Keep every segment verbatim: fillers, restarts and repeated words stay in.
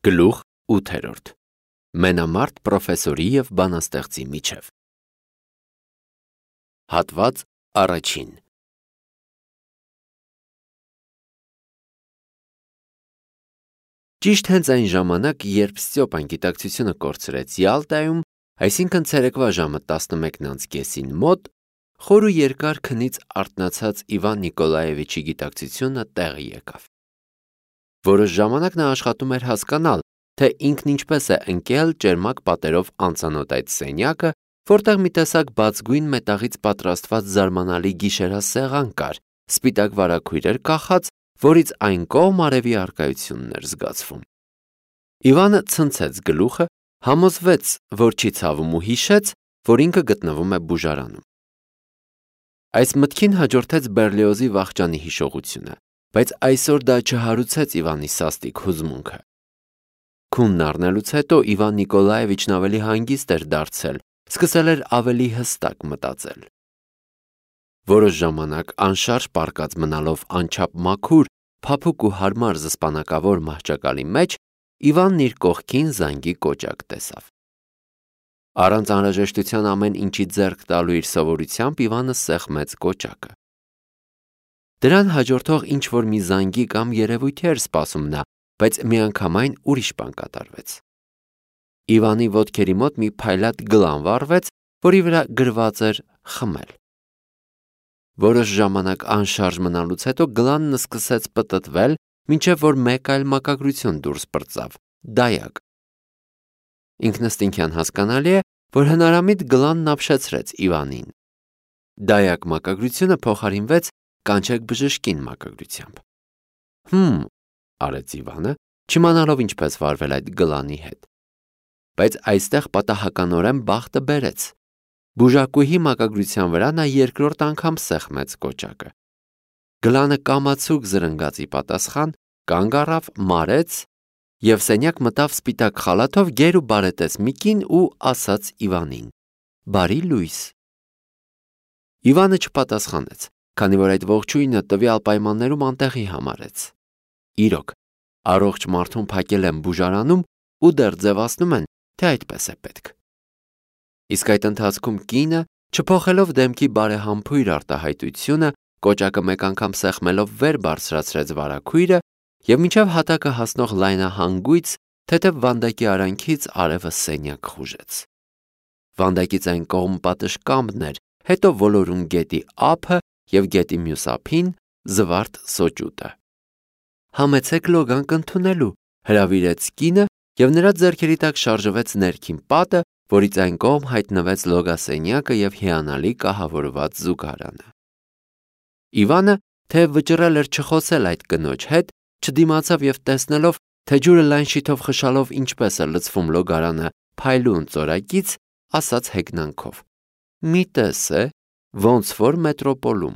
Գլուխ ութերորդ. Մենամարտ պրոֆեսորի և բանաստեղծի միջև. Հատված առաջին. Ճիշտ հենց այն ժամանակ, երբ Ստյոպան գիտակցությունը կորցրեց Յալտայում, այսինքն ցերեկվա ժամը տասնմեկն անց կեսին մոտ, խոր ու երկար քնից արթնացած Իվան Նիկոլաևիչի գիտակցությունը տեղը եկավ։ Որոշ ժամանակ նա աշխատում էր հասկանալ, թե ինքն ինչպես է ընկել ճերմակ պատերով անծանոթ այդ սենյակը, որտեղ մի տեսակ բացգույն մետաղից պատրաստված զարմանալի գիշերասեղան կար, սպիտակ վարագույր էր կախած, որից այն կողմ արևի առկայությունն էր զգացվում։ Իվանը ցնցեց գլուխը, համոզվեց, որ չի ցավում ու հիշեց, որ ինքը գտնվում է բուժարանում։ Այս մտքին հաջորդեց Բերլիոզի վախճանի հիշողությունը, բայց այսօր դա չհարուցեց Իվանի սաստիկ հուզմունքը։ Քունն առնելուց հետո Իվան Նիկոլաևիչն ավելի հանգիստ էր դարձել, սկսել էր ավելի հստակ մտածել։ Որոշ ժամանակ անշարժ պառկած մնալով անչափ մաքուր, փափուկ ու հարմար զսպանակավոր մահճակալի մեջ, Իվանն իր կողքին զանգի կոճակ տեսավ։ Առանց անհրաժեշտության ամեն ինչի ձեռք տալու իր սովորությամբ Իվանը սեղմեց կոճակը։ Դրան հաջորդող ինչ-որ մի զանգի կամ երևույթի էր սպասում նա, բայց միանգամայն ուրիշ բան կատարվեց։ Իվանի ոտքերի մոտ մի փայլատ գլան վառվեց, որի վրա գրված էր «խմել»։ Որոշ ժամանակ անշարժ մնալուց հետո գլանն սկսեց պտտվել, մինչև որ մեկ այլ մակագրություն դուրս պրծավ՝ դայակ։ Ինքնըստինքյան հասկանալի է, որ հնարամիտ գլանն ապշեցրեց Իվանին։ Դայակ մակագրությունը փոխարինվեց կանչեք բժշկին մակագրությամբ։ Հմ, արեց Իվանը, չիմանալով ինչպես վարվել այդ գլանի հետ։ Բայց այստեղ պատահականորեն բախտը բերեց։ Բուժակուհի մակագրության վրա նա երկրորդ անգամ սեղմեց կոճակը։ Գլանը կամացուկ զրնգաց ի պատասխան, կանգ առավ, մարեց և սենյակ մտավ սպիտակ խալաթով գեր ու բարետես մի կին ու ասաց Իվանին. «Բարի լույս»։ Իվանը չպատասխանեց, քանի որ այդ ողջույնը տվյալ պայմաններում անտեղի համարեց։ Իրոք, առողջ մարդուն փակել են բուժարանում ու դեռ ձևացնում են, թե այդպես է պետք։ Իսկ այդ ընթացքում կինը, չփոխելով դեմքի բարեհամբույր արտահայտությունը, կոճակը մեկ անգամ սեղմելով վեր բարձրացրեց վարագույրը և մինչև հատակը հասնող լայնահանգույց, թեթև վանդակի արանքից արևը սենյակ խուժեց։ Վանդակից այն կողմ պատշգամբն էր, հետո ոլորուն գետի ափը և գետի մյուս ափին զվարթ սոճուտը։ «Համեցեք լոգանք ընդունելու», հրավիրեց կինը և նրա ձեռքերի տակ շարժվեց ներքին պատը, որից այն կողմ հայտնվեց լոգասենյակը և հիանալի կահավորված զուգարանը։ Իվանը, թեև վճռել էր չխոսել այդ կնոջ հետ, չդիմացավ և տեսնելով, թե ջուրը լայն շիթով խշալով ինչպես է լցվում լոգարանը փայլուն ծորակից, ասաց հեգնանքով. «Մի տես է, ոնց որ մետրոպոլում»։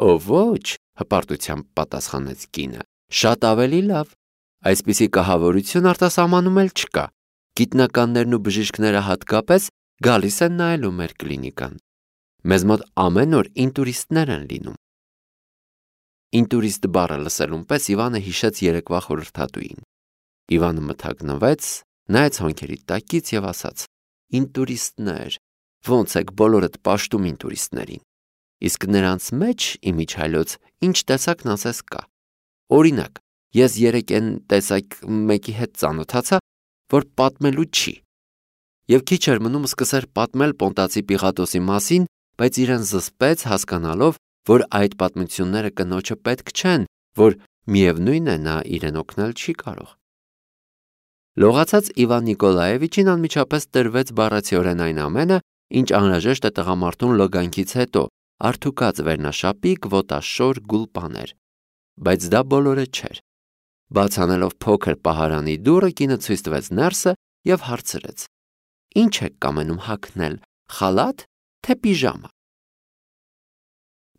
«Օ ոչ», հպարտությամբ պատասխանեց կինը, «շատ ավելի լավ։ Այսպիսի կահավորություն արտասահմանում էլ չկա։ Գիտնականներն ու բժիշկները հատկապես գալիս են նայելու մեր կլինիկան։ Մեզ մոտ ամեն օր ինտուրիստներ են լինում»։ Ինտուրիստ բառը լսելուն պես Իվանը հիշեց երեկվա խորհրդատուին։ Իվանը մթագնվեց, նայեց հոնքերի տակից և ասաց. «Ինտուրիստներ, ոնց եք բոլորդ պաշտում ինտուրիստներին։ Իսկ նրանց մեջ, իմիջիայլոց, ինչ տեսակն ասես կա։ Օրինակ, ես երեկ էն տեսակ մեկի հետ ծանոթացա, որ պատմելու չի։ Եվ քիչ էր մնում սկսեր պատմել Պոնտացի Պիղատոսի մասին, բայց իրեն զսպեց, հասկանալով, որ այդ պատմությունները կնոջը պետք չեն, որ միևնույն է նա իրեն օգնել չի կարող»։ Լողացած Իվան Նիկոլաևիչին անմիջապես տրվեց բառացիորեն այն ամենը, ինչ անհրաժեշտ է տղամարդուն լոգանքից հետո, արդուկած վերնաշապիկ, ոտաշոր, գուլպաներ։ Բայց դա բոլորը չէր։ Բաց անելով փոքր պահարանի դուռը, կինը ցույց տվեց ներսը և հարցրեց. «Ինչ եք կամենում հագնել, խալաթ, թե պիժամա»։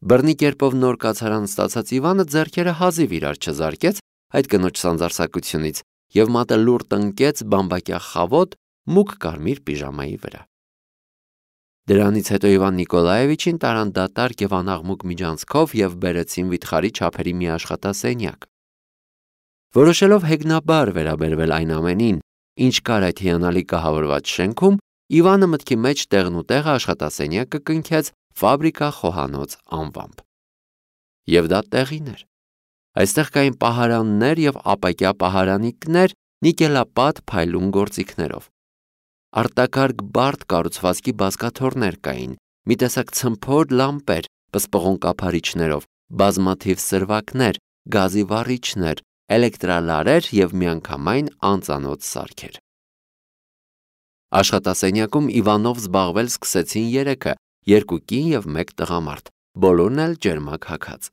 Բռնի կերպով նոր կացարան ստացած Իվանը ձեռքերը հազիվ իրար չզարկեց այդ կնոջ սանձարձակությունից և մատը լուռ տնկեց բամբակյա խավոտ, մուգ կարմիր պիժամայի վրա։ Դրանից հետո Իվան Նիկոլաևիչին տարան դատարկ և անաղմուկ միջանցքով և բերեցին վիթխարի չափերի մի աշխատասենյակ։ Որոշելով հեգնաբար վերաբերվել այն ամենին, ինչ կար այդ հիանալի կահավորված շենքում, Իվանը մտքի մեջ տեղնուտեղը աշխատասենյակը կնքեց ֆաբրիկա խոհանոց անվամբ։ Եվ դա տեղին էր։ Այստեղ կային պահարաններ և ապակյա պահարանիկներ նիկելապատ փայլուն գործիքներով։ Արտակարգ բարդ կառուցվածքի բազկաթոռներ կային, մի տեսակ ցմփոր լամպեր պսպղուն կափարիչներով, բազմաթիվ սրվակներ, գազի վառիչներ, էլեկտրալարեր և միանգամայն անծանոթ սարքեր։ Աշխատասենյակում Իվանով զբաղվել սկսեցին երեքը, երկու կին և մեկ տղամարդ, բոլորն էլ ջերմակ հագած։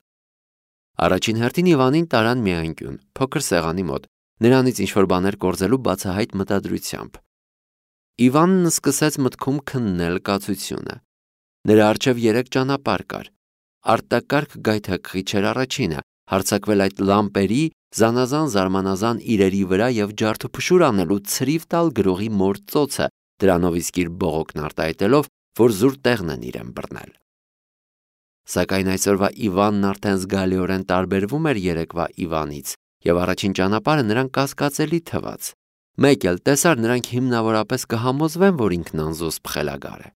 Առաջին հերթին Իվանին տարան մի անկյուն, փոքր սեղանի մոտ, նրանից ինչ-որ բաներ կորզելու բացահայտ մտադրությամբ։ Իվանն սկսեց մտքում քննել կացությունը։ Նրա առջև երեք ճանապարհ կար։ Արտակարգ գայթակղիչ էր առաջինը, հարձակվել այդ լամպերի, զանազան զարմանազան իրերի վրա և ջարդուփշուր անելու ցրիվ տալ գրողի մոր ծոցը, դրանով իսկ իր բողոքն արտահայտելով, որ զուր տեղն են իրեն բռնել։ Սակայն այսօրվա Իվանն արդեն զգալիորեն տարբերվում էր երեկվա Իվանից, և առաջին ճանապարհը նրան կասկածելի թվաց։ Մեկ էլ տեսար, նրանք հիմնավորապես կհամոզվեն, որ ինքն անզուսպ խելագար է։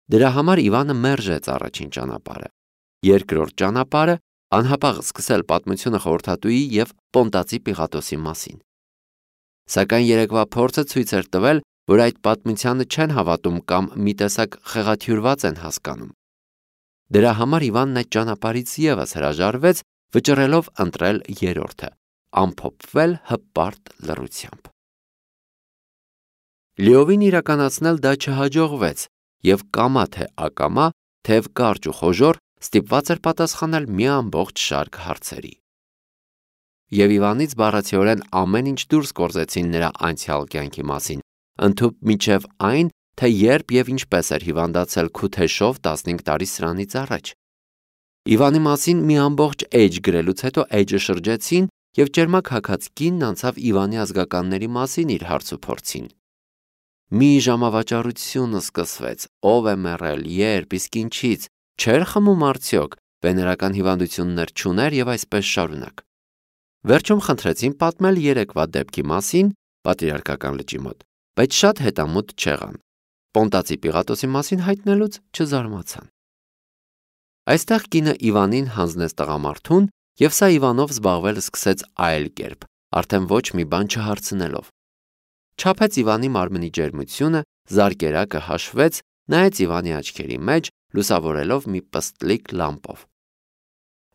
Դրա համար Իվանը մերժեց առաջին ճանապարհը։ Երկրորդ ճանապարհը անհապաղ սկսել պատմությունը խորհրդատուի և Պոնտացի Պիղատոսի մասին։ Սակայն երեկվա փորձը ցույց էր տվել, որ այդ պատմությանը չեն հավատում կամ մի տեսակ խեղաթյուրված են հասկանում։ Դրա համար Իվանն այդ ճանապարհից ևս հրաժարվեց, վճռելով ընտրել երրորդը՝ ամփոփվել հպարտ լռությամբ։ Լիովին իրականացնել դա չհաջողվեց, և կամա թե ակամա, թեև կարճ ու խոժոռ, ստիպված էր պատասխանել մի ամբողջ շարք հարցերի։ Եվ Իվանից բառացիորեն ամեն ինչ դուրս կորզեցին նրա անցյալ կյանքի մասին, ընդհուպ մինչև այն, թե երբ և ինչպես էր հիվանդացել Քութեշով տասնհինգ տարի սրանից առաջ։ Իվանի մասին մի ամբողջ էջ գրելուց հետո էջը շրջեցին, և ճերմակ հագած կինն անցավ Իվանի ազգականների մասին իր հարցուփորձին։ Մի ժամավաճառություն սկսվեց, ով է մեռել, երբ, իսկ ինչից, չէր խմում արդյոք, վեներական հիվանդություններ չուներ և այսպես շարունակ։ Վերջում խնդրեցին պատմել երեկվա դեպքի մասին Պատրիարքական լճի մոտ, բայց շատ հետամուտ չեղան։ Պոնտացի Պիղատոսի մասին հայտնելուց չզարմացան։ Այստեղ կինը Իվանին հանձնեց տղամարդուն, և սա Իվանով զբաղվել սկսեց այլ կերպ, արդեն ոչ մի բան չհարցնելով։ Չափեց Իվանի մարմնի ջերմությունը, զարկերակը հաշվեց, նայեց Իվանի աչքերի մեջ, լուսավորելով մի պստլիկ լամպով։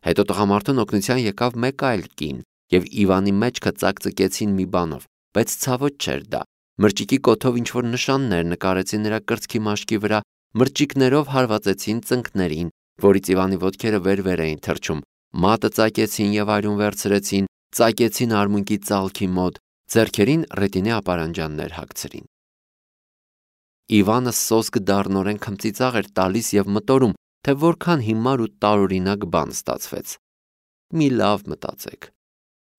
Հետո տղամարդուն օգնության եկավ մեկ այլ կին, և Իվանի մեջքը ծակծկեցին մի բանով, բայց ցավոտ չէր դա։ Մրճիկի կոթով ինչ-որ նշաններ նկարեցին նրա կրծքի մաշկի վրա, մրճիկներով հարվածեցին ծնկներին, որից Իվանի ոտքերը վեր-վեր էին թռչում, մատը ծակեցին և արյուն վերցրեցին, ծակեցին արմունկի ծալքի մոտ, ձեռքերին ռետինե ապարանջաններ հագցրին։ Իվանը սոսկ դառնորեն քմծիծաղ էր տալիս և մտորում, թե որքան հիմար ու տարօրինակ բան ստացվեց։ Մի լավ մտածեք։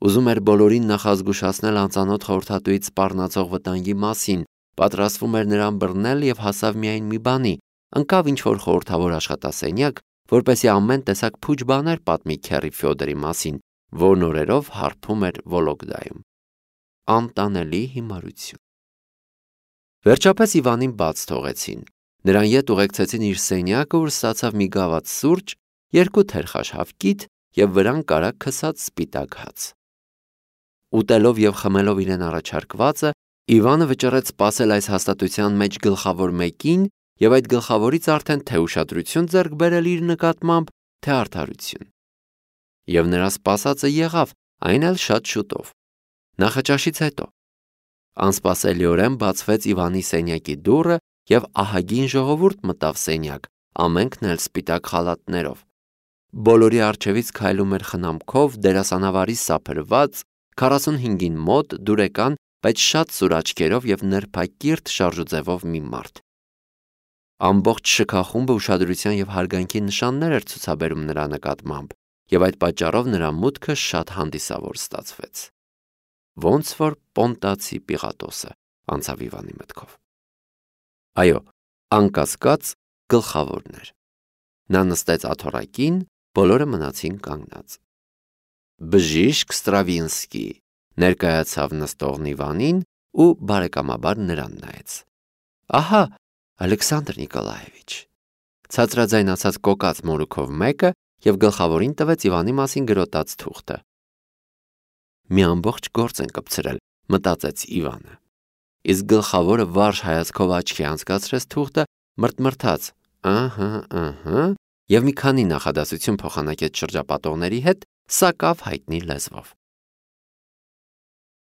Ուզում էր բոլորին նախազգուշացնել անծանոթ խորհրդատուից սպառնացող վտանգի մասին, պատրաստվում էր նրան բռնել և հասավ միայն մի բանի, ընկավ ինչ-որ խորհրդավոր աշխատասենյակ, որպեսզի ամեն տեսակ փուչ բաներ պատմի քեռի Ֆյոդորի մասին, որն օրերով հարբում էր Վոլոգդայում։ Անտանելի հիմարություն։ Վերջապես Իվանին բաց թողեցին։ Նրան ետ ուղեկցեցին իր սենյակը, ուր ստացավ մի գավաթ սուրճ, երկու թերխաշ հավկիթ և վրան կարագ քսած սպիտակ հաց։ Ուտելով և խմելով իրեն առաջարկվածը, Իվանը վճռեց սպասել այս հաստատության մեջ գլխավոր մեկին և այդ գլխավորից արդեն թե ուշադրություն ձեռք բերել իր նկատմամբ, թե արդարություն։ Եվ նրա սպասածը եղավ, այն էլ շատ շուտով։ Նախաճաշից հետո անսպասելիորեն բացվեց Իվանի սենյակի դուռը, և ահագին ժողովուրդ մտավ սենյակ, ամենքն էլ սպիտակ խալաթներով։ Բոլորի առջևից քայլում էր խնամքով, դերասանավարի սափրված, քառասունհինգին մոտ, դուրեկան, բայց շատ սուր աչքերով և նրբակիրթ շարժուձևով մի մարդ։ Ամբողջ շքախումբը ուշադրության և հարգանքի նշաններ էր ցուցաբերում նրա նկատմամբ, և այդ պատճառով նրա մուտքը շատ հանդիսավոր ստացվեց։ Ոնց որ Պոնտացի Պիղատոսը անցավ Իվանի մտքով։ Այո, անկասկած գլխավորն էր։ Նա նստեց աթոռակին, բոլորը մնացին կանգնած։ Բժիշկ Ստրավինսկի, ներկայացավ նստողն Իվանին ու բարեկամաբար նրան նայեց։ Ահա, Ալեքսանդր Նիկոլաևիչ, ցածրաձայնացած կոկած մորուքով մեկը և գլխավորին տվեց Իվանի մասին գրոտած թուղթը։ Մի ամբողջ գործ են կպցրել, մտածեց Իվանը։ Իսկ գլխավորը վարժ հայացքով աչքի անցկացրեց թուղթը, մրթմրթաց ըհը, ըհը, և մի քանի նախադասություն փոխանակեց շրջապատողների հետ սակավ հայտնի լեզվով։